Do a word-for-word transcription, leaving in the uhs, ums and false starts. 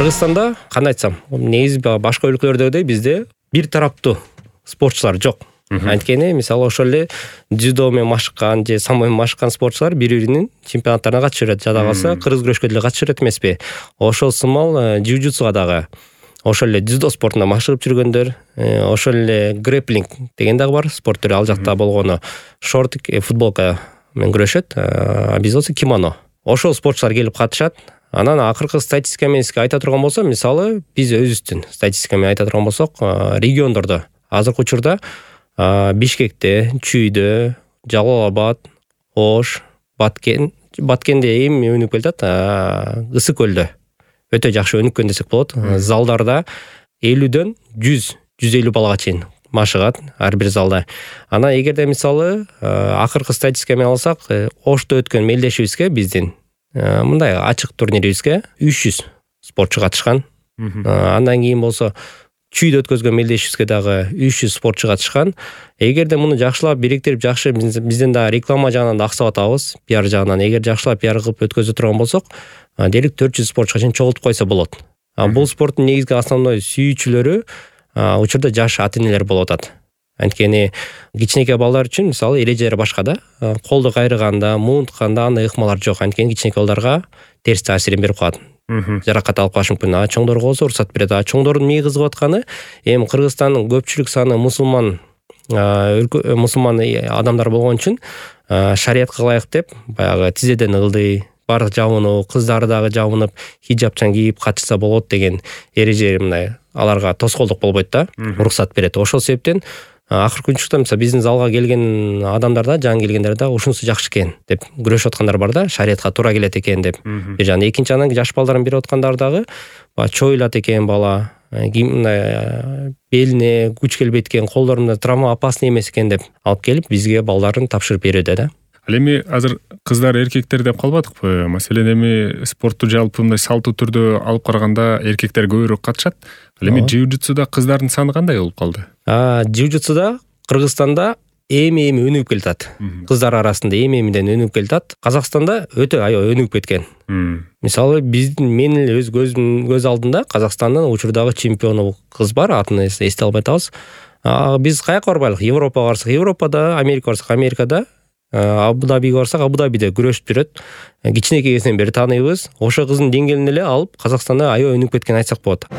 Кыргызстанда кандай айтсам, негизи башка өлкөлөрдөгүдөй бизде бир тараптуу спортчулар жок. Анткени мисалы ошол эле дзюдо менен машыккан же самбо менен машыккан спортчулар бири-биринин чемпионаттарына катышып жүрөт. Жада калса кыргыз күрөшкө деле катышып жүрөт эмеспи? Ошол сымал джиу-джитсуга дагы, ошол эле дзюдо спортунда машыгып жүргөндөр, ошол эле грэпплинг деген дагы бар спорт түрү, ал жакта болгону шорт футболка менен күрөшөт, а бизде болсо кимоно. Ошол спортчулар келип катышат. Анан акыркы статистика менен айта турган болсом, мисалы биз өзүбүздүн статистика менен айта турган болсок, региондордо азыркы учурда Бишкекте, Чүйдө, Жалал Абад, Ош, Баткен, Баткенде эми өнүгүп келатат, Ысык көлдө өтө жакшы өнүккөн десек болот. Залдарда элүүдөн жүз жүз элүү балага чейин машыгат ар бир залда. Анан эгерде мисалы акыркы статистика менен алсак, Ошто өткөн мелдешибизге биздин мындай ачык турнирибизге үч жүз спортчу катышкан. Андан кийин болсо Чүйдө өткөзгөн мелдешибизге дагы үч жүз спортчу катышкан. Эгерде муну жакшылап бириктирип, жакшы бизден да реклама жагынан да аксап атабыз, пиар жагынан. Эгер жакшылап пиар кылып өткөзө турган болсок, дээрлик төрт жүз спортчуга чейин чогултуп койсо болот. Бул спорттун негизги основной сүйүүчүлөрү учурда жаш ата-энелер болуп атат. Анткени кичинекей балдар үчүн мисалы эрежелер башка да. Колду кайрыганда, муунтканда андай ыкмалар жок. Анткени кичинекей балдарга терс таасирин берип коет. Жаракат алып калышы мүмкүн. А чоңдорго болсо уруксат берет. А чоңдордун мээ кызыгып атканы эми Кыргызстандын көпчүлүк саны мусулман мусулман адамдар болгон үчүн шариятка ылайык деп баягы тизеден ылдый, бардык жабынуу, кыздары дагы жабынып, хиджабчан кийип катышса болот деген эреже мындай аларга тоскоолдук болбойт да, уруксат берет. Ошол себептен акыркы учурда мисалы биздин залга келген адамдар да, жаңы келгендер да ушунусу жакшы экен деп күрөшүп аткандар бар да, шариятка туура келет экен деп. Бир жагынан экинчи анан жаш балдарын берип аткандар дагы чоюлат экен бала, мындай белине күч келбейт экен, колдорунда травма опасный эмес экен деп алып келип бизге балдарын тапшырып берүүдө да. Ал эми азыр кыздар эркектер деп калбадыкпы? Маселен эми спортту жалпы мындай салттуу түрдө алып караганда эркектер көбүрөөк катышат. Ал эми джиу-джитсуда кыздардын саны кандай болуп калды? А джиу-джитсуда Кыргызстанда эми-эми өнүгүп келатат. Кыздар арасында эми-эмиден өнүгүп келатат. Казакстанда өтө аябай өнүгүп кеткен. Мисалы биздин менин өз көзүм көз алдында Казакстандын учурдагы чемпиону кыз бар, атын эсте албай атабыз. Биз каяка барбайлык? Европага барсак, Европада, Америка барсак, Америкада, Абу-Дабиге барсак, Абу-Дабиде күрөшүп жүрөт. Кичинекей кезинен бери тааныйбыз. Ошо кыздын деңгээлин эле алып Казакстанда аябай өнүгүп кеткен айтсак болот.